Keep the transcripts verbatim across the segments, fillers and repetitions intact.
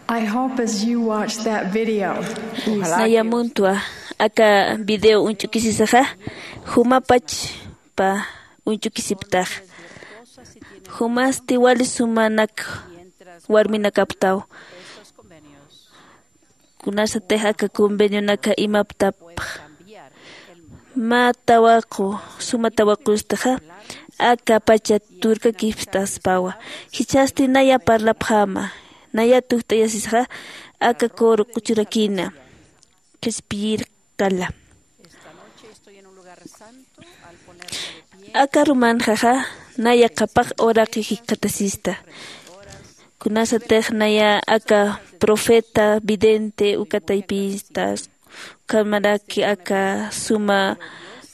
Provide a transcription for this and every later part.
I hope as you watch that video, you Naya muntwa aka video uñch'ukisisaxa, jumapachpa uñch'ukisiptax. Jumasti wali sumanak warminakaptaw. Kunasatix aka convenionaka imaptapx mä tawaqu, suma tawaqustaxa, aka pacha turkakipstaspawa. Jichhasti naya parlapxäma, naya tukt'ayasisxa, aka coro q'uchurakina qhispiyir qala. Aka rumanxaxa naya qhapaq uraqi jikxatasista. Kunasatix naya aka profeta, vidente, uka taypinsta, ukhamaraki aka suma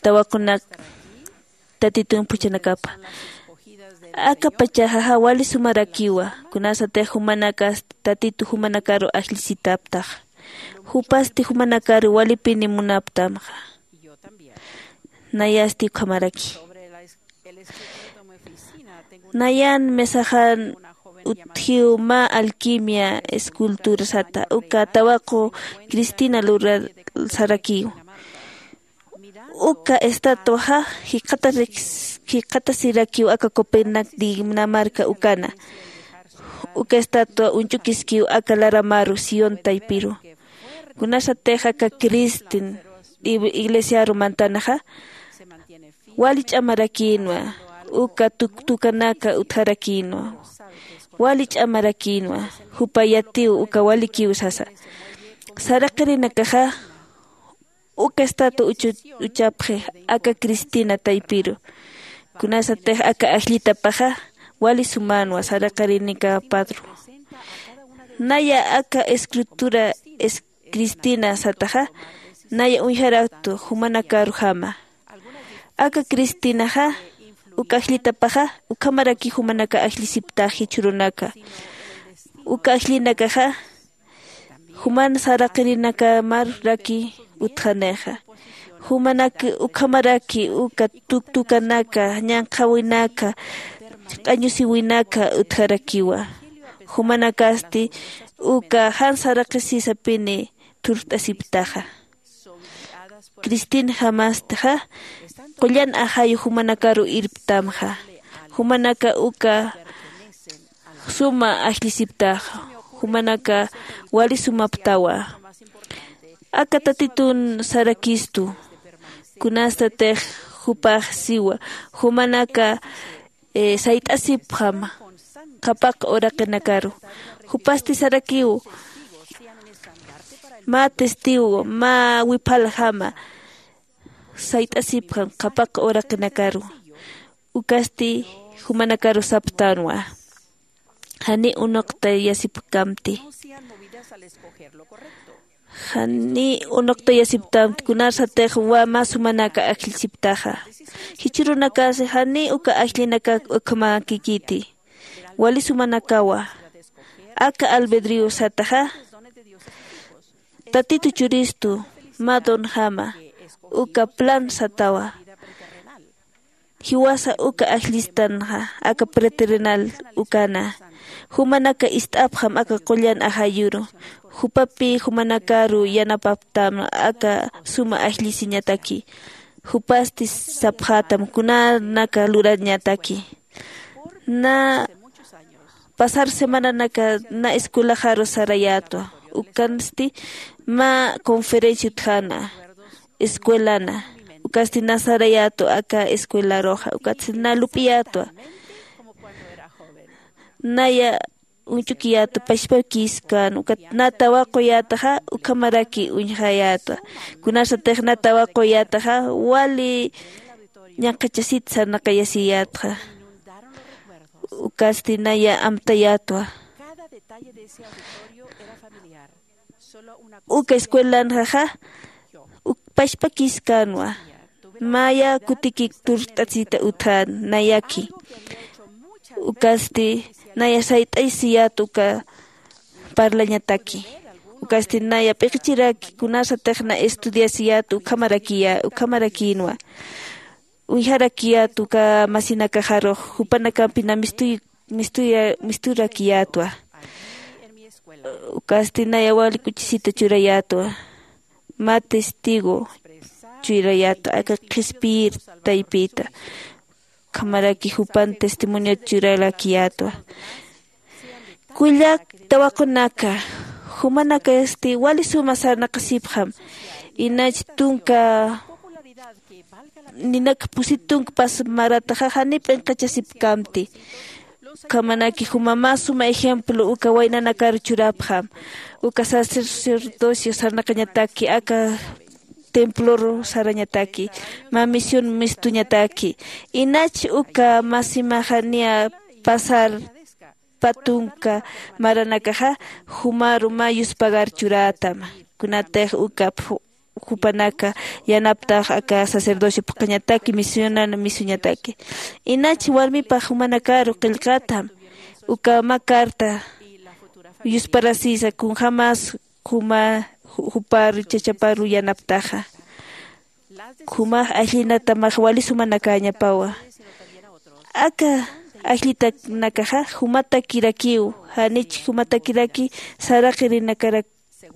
tawaqunak Tatitun phuchhanakapa. Aka pachaxaxa wali sumarakiwa, kunasatix jumanakas Tatitu jumanakaru ajllisitaptax. Jupasti jumanakaru walipini munaptamxa. Nayasti ukhamaraki. Nayan mesaxan utjiw mä alquimia escultura sata, uka tawaqu Cristina lurar sarakiw. Uka estatuaxa jikxatarix-, jikxatasirakiw aka Copenhague, Dinamarca ukana. Uka estatua uñch'ukiskiw aka laramaru Sion taypiru. Kunasatix aka Cristin ig-, iglesiaru mantanaxa, wali ch'amarakïnwa, uka tuktukanaka utjarakïnwa. Wali ch'amarakïnwa, jupa yatiw uka walikiw sasa. Saraqirinakaxa, uka estatua uchu-, uchapxi aka Cristina taypiru. Kunasatix aka ajllitapaxa wali sumänwa saraqirinika padru. Naya aka escritura es-, Cristina sataxa, naya uñjaraktu jumanakaru jama. Aka Cristinaxa, uka ajllitapaxa, ukhamaraki jumanaka ajllisiptax jichhürunaka. Uka ajllinakaxa, juman saraqirinakamar raki utjanixa. Jumanak ukhamaraki uka tuktukanaka, ñanqhawinaka, q'añusiwinaka utjarakiwa. Jumanakasti uka jan saraqisisapini thurt'asiptaxa. Cristin jamastixa, qullan ajayu jumanakaru irptamxa. Jumanaka uka suma ajllisiptaxa, jumanaka wali sumaptawa. Aka Tatitun sarakistu, kunastatix jupax siwa, jumanaka, eh, sayt'asipxam qhapaq uraqinakaru. Jupasti sarakiw, mä testigo, mä wiphaljama, sayt'asipxam qhapaq uraqinakaru. Ukasti jumanakaru saptanwa. Jani unuqtayasipkamti. Jani unuqtayasiptamti, kunasatix mä sumanaka ajllisiptaxa. Jichhürunakasi jani uka ajllinaka ukhamarakïkiti. Wali sumanakawa. Aka albedrío sataxa, Tatitu churistu, mä donjama, uka plan satawa. Jiwasa uka ajllistanxa, aka preterrenal ukana. Jumanaka ist'apxam aka qullan ajayuru. Jupapi jumanakaru yanapaptam aka suma ajllisiñataki. Jupasti sapxätam kunanaka lurañataki. Na pasar semananaka na escuelaxaru sarayätwa. Ukansti mä conferencia utjana, escuelana. Ukasti na sarayätwa aka escuelaruxa. Ukatsti na lup'iyätwa. Naya uñch'ukiyätwa, pachpakïskän. Ukat na tawaquyätaxa, ukhamaraki uñjayätwa. Kunasatix na tawaquyätaxa, wali ñaqhachasit sarnaqayasiyätxa. Ukasti naya amtayätwa. Uka escuelanxaxa, uk pachpakïskänwa. Maya kutikik turt'asita utjän nayaki. Ukasti naya sayt'asiyät uka parlañataki. Ukasti naya p'iqichiraki kunasatix na estudiasiyät ukhamarakiya-, ukhamarakïnwa. Uñjarakiyät uka masinakaxarux, jupanakampi na mistuy-, mistuya-, misturakiyätwa. Ukasti naya wali kuchisita churayätwa. Mä testigo churayätwa aka qhispiyir taypita. Ukhamaraki jupan testimoniot churarakiyätwa. Kullak tawaqunaka, jumanakasti wali suma sarnaqasipxam. Inach tunka ninak pusit tunka pas marataxa jani p'inqachasipkamti. Ukhamanaki juma mä suma ejemplo uka waynanakaru churapxam. Uka sacerdocio sarnaqañataki aka temploru sarañataki, mä misión mistuñataki. Inach uka masimaxa niya pasar pä tunka maranakaxa jumaru mä yuspagar churätam. Kunatix uka jupanaka yanaptax aka sacerdocio phuqhañataki misionan misuñataki. Inach warmipax jumanakaru qillqatam uka mä carta yusparasisa kunjämas juma juparu chachaparu yanaptaxa. Jumax ajllinatamax wali sumanakäñapawa. Aka ajllitanakaxa jumatakirakiw. Janich jumatakiraki saraqirinakarak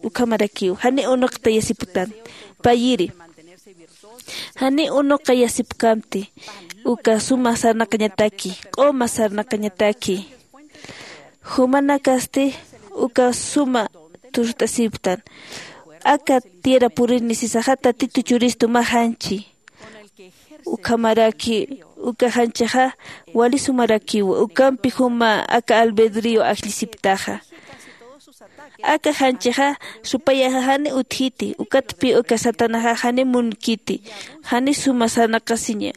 ukhamarakiw jani unuqtayasipktan. Payiri jani unuqayasipkamti. Uka suma sarnaqañataki q'uma sarnaqañataki. Jumanakasti uka suma turt'asipktan. Aka tierra purini sisaxa tatitu churistu mä janchi. Ukhamaraki uka janchixa wali sumarakiwa ukampi juma aka albedrío ajllisipktaxa. Aka janchixa supayaxa jani utjiti ukatpi uka satanaxa jani munkiti. Jani suma sarnaqasiña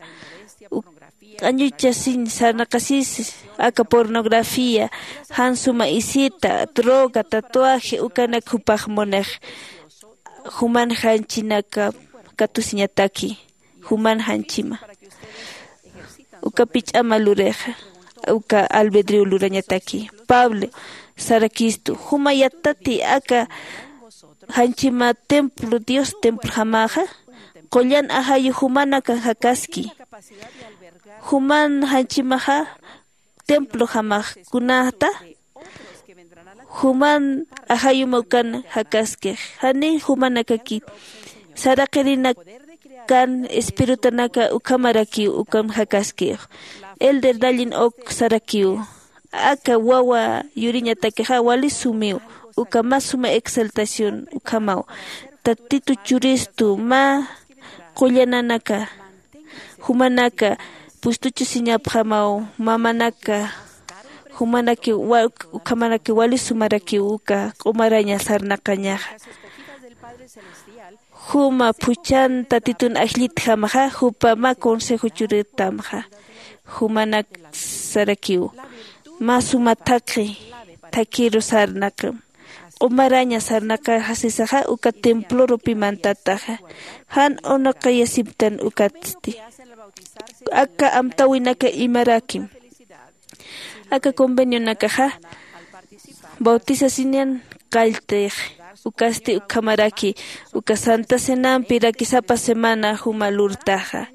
q'añuchasiñ sarnaqasis aka pornografía jan suma isita droga tatuaje ukanak jupax munix. Juman janchinaka katusiñataki juman janchima. Ukapi ch'ama lurixa uka albedrio lurañataki. Pablo sarakistu juma yattati aka janchima templo dios templojamaxa qullan ajayu jumanaka jakaski. Juman janchimaxa templojamax kunata juman ajayuma ukan jakaskix jani jumanakaki saraqirinakan espiritunaka ukhamarakiw ukan jakaskix. Elder dallin ok sarakiw aka wawa yuriñatakixa wali sumiw uka mä suma exaltación ukhamaw. Tatitu churistu mä qullananaka jumanaka pustuchusiñapxamaw mamanaka jumanaki ukhamanaki wali sumarakiw uka q'umaraña sarnaqañaxa. Juma phuchhan tatitun ajllitjamaxa jupa mä consejo churitamxa. Jumanak sarakiw mä suma thaqhi thakhiru sarnaqam q'umaraña sarnaqaxa sisaxa uka templorupi mantataxa. Jan unuqayasiptan ukatsti aka amtäwinaka imarakim. Aka convenionakaxa bautisasiñan qalltix ukasti ukhamaraki uka santa cenampi rakisapa semana juma lurtaxa.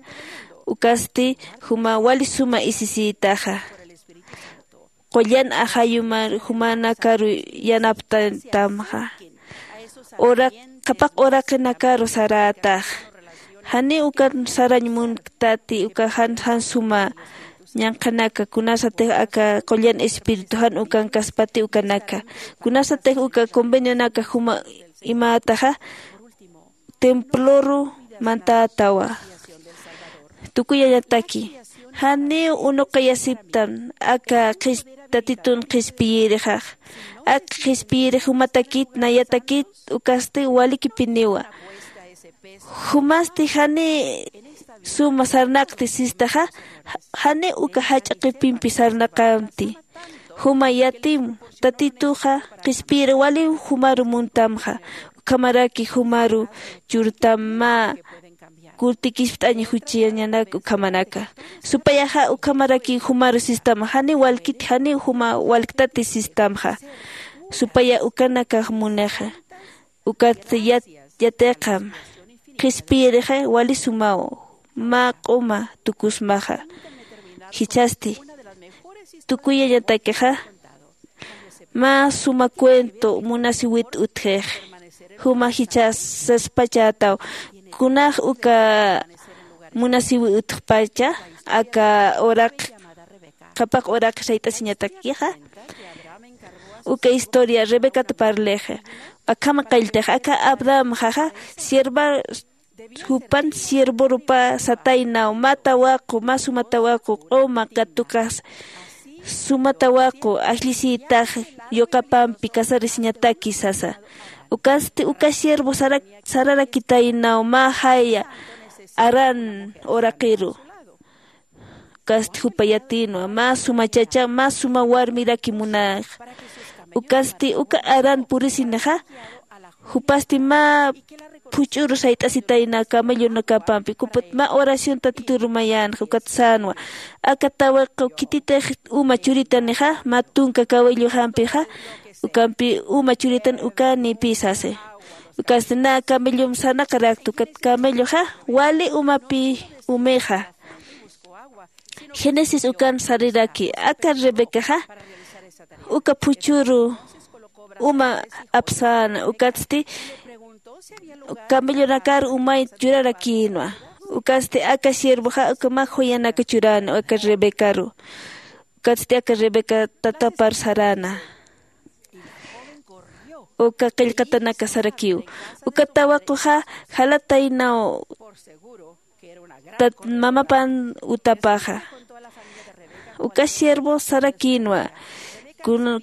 Ukasti juma wali suma isisïtaxa. Qullan ajayumar jumanakaru yanaptatamxa. Qhapaq uraqinakaru sarätax. Janiw ukan sarañ munktati uka jan jan suma ñanqhanaka kunasatix aka qullan espiritu jan ukankaspati ukanaka. Kunasatix uka convenionaka juma imätaxa temploru mantätawa. Tukuyañataki janiw unuqayasiptan aka tatitun qhispiyirixax. Aka qhispiyirix jumatakit nayatakit ukasti walikipiniwa. Jumasti jani suma sarnaqti sistaxa jani uka jach'a qipimpi sarnaqamti. Juma yatim tatituxa qhispiyiri waliw jumaru muntamxa. Ukhamaraki jumaru churtam mä kurtikispt'aña juchañanak ukhamanaka. Supayaxa ukhamaraki jumaru sistama janiw walkit janiw juma walktati sistamxa. Supaya ukanakax munixa ukat yatiqam qhispiyirixa wali sumaw mä q'uma tukusmaxa. Jichhasti tukuyañatakixa Mä suma cuento munasiwit utjix. Juma jichhas saspachätaw, kunax uka munasiwi utjpacha aka uraq qhapaq uraq sayt'asiñatakixa. Uka historia rebecata parlixa. Akhama qalltix aka abrahamxaxa sierva jupan siervorupa sataynaw mä tawaqu mä suma tawaqu q'uma katukax suma tawaqu ajllisïtax yuqapampi casarisiñataki sasa. Ukasti uka siervo sararakitaynaw mä jaya aran uraqiru. Ukasti jupa yatïnwa mä suma chacha mä suma warmiraki munax. Ukasti uka aran purisinixa jupasti mä phuch'uru sayt'asitayna camellonakapampi kupat mä oración tatituru mayänxa ukat sänwa. Aka tawaqu khititix uma churitanixa mä tunka cawilluxampixa ukampi uma churitan ukanïpï sasi. Ukasti na camellom sanaqarakta ukat camelloxa wali umapï umixa. Génesis ukan sariraki aka rebecaxa uka phuchhuru uma apsäna ukatsti camellonakar umay churarakïnwa. Ukatsti aka siervoxa uka mä joyanaka churäna aka rebecaru. Ukatsti aka rebeca tatapar saräna uka qillqatanaka sarakiw. Uka tawaquxa jalataynaw tat mamapan utapaxa. Uka siervo sarakïnwa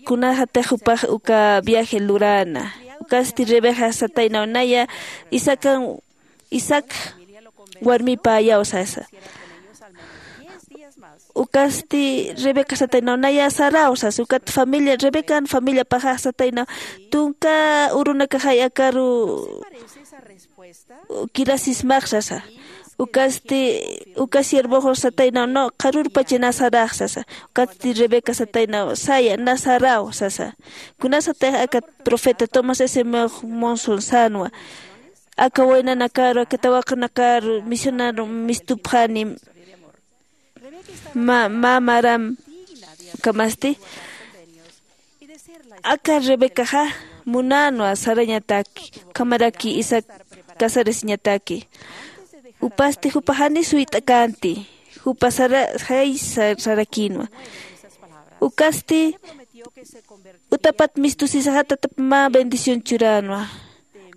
kunaxatix jupax uka viaje luräna. Ukasti rebeca sataynaw naya isaacan isaac warmipäyaw sasa. Ukasti rebeca sataynaw naya saraw sasa ukat familia rebecan familiapaxax sataynaw tunka urunakaxay akaru kirasismax sasa. Ukasti uka siervoxu sataynaw no qharurpachi na sarax sasa. Ukatsti rebeca sataynaw saya na saraw sasa. Kunasatix aka profeta tomás s monson sänwa aka waynanakaru aka tawaqunakaru misionaru mistupxani. Mä maram ukhamasti aka rebecaxa munänwa sarañataki ukhamaraki isaac casarasiñataki. Jupasti jupa jani suyt'akänti jupa sara jay sarakïnwa. Ukasti utapat mistusisaxa tatap mä bendición churänwa.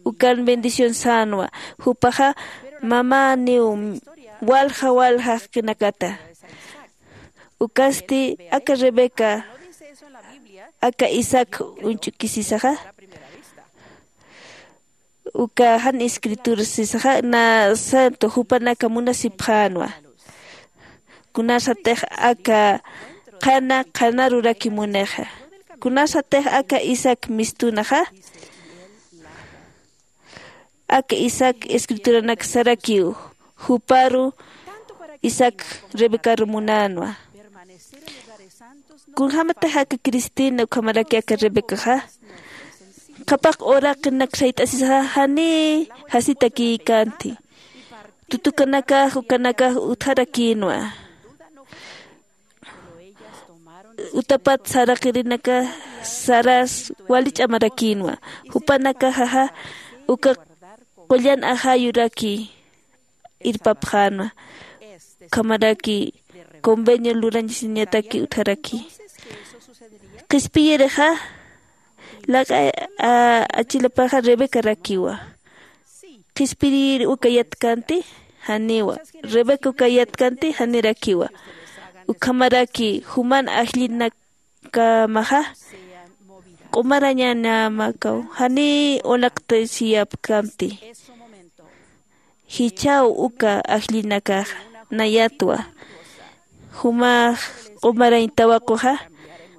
Ukan bendición sänwa jupaxa mamäniw walja walja jaqinakata. Ukasti aka rebeca aka isaac uñch'ukisisaxa uka jan escritura sisaxa na santo jupanaka munasipxänwa. Kunasatix aka qhana qhanaruraki munixa kunasatix aka isaac mistunaxa. Aka isaac escrituranak sarakiw juparu isaac rebecaru munänwa. Kunjämatix aka cristina ukhamaraki aka rebecaxa qhapaq uraqinak sayt'asisaxa janiy jasitakïkänti. Tutukanakax ukanakax utjarakïnwa. Utapat saraqirinaka saras wali ch'amarakïnwa. Jupanakaxaxa uka qullan ajayuraki irpapxänwa. Ukhamaraki convenio lurañasiñataki utjaraki. Qhispiyirixa laq'a achilapaxa rebecarakiwa. Qhispiyiri uka yatkanti janiwa. Rebeca uka yatkanti janirakiwa. Ukhamaraki juman ajllinakamaxa q'umarañanamakaw janiy unaqtasiyapkamti. Jichhaw uka ajllinakaxa nayatwa jumax q'umarañ tawaquxa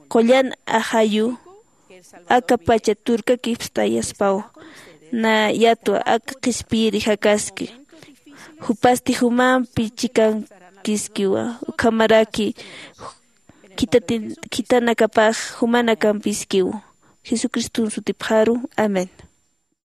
qullan ajayu aka pacha turkakipstayaspaw. Nayatwa aka qhispiyiri jakaski jupasti jumampi chikankiskiwa. Ukhamaraki khitati khitanakapax jumanakampiskiw. Jesucriston sutipxaru. Amén.